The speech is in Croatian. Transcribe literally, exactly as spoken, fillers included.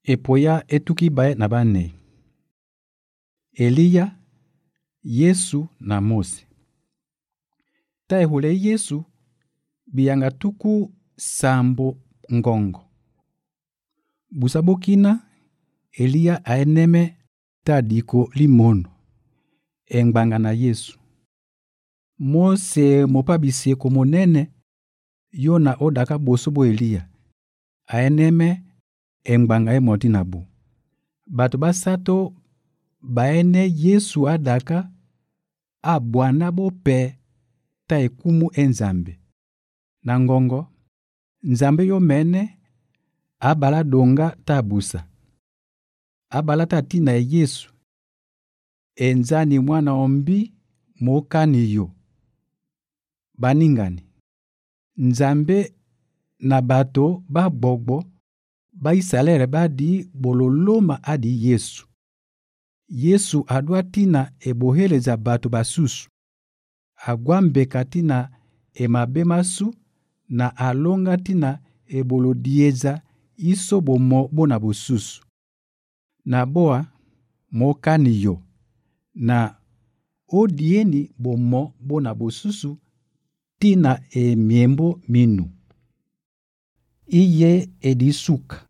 Epoya etuki baye na bane. Eliya, Yesu na Mose. Ta ehule Yesu biyanga tuku sambo ngongo. Busabokina Eliya aeneme ta diko limono. Engbanga na Yesu. Mose mopa biseko monene yona odaka bosobo Eliya. Aeneme engbanga e moti na bu. Bato basato baene Yesu adaka abwana bope ta ekumu enzambe. Na ngongo, nzambe yo mene abala donga ta busa. Abala ta tina e Yesu. Enzani mwana ombi mokani yo. Baningani. Nzambe na bato ba gbogbo ba isalere badi bololoma adi Yesu. Yesu adwa tina eboheleza bato basusu. Agwambeka tina emabe masu na alonga tina ebolodieza iso bomo bona bosusu. Na boa mokani yo. Na odieni bomo bona bosusu tina e miembo minu. Iye edisuka.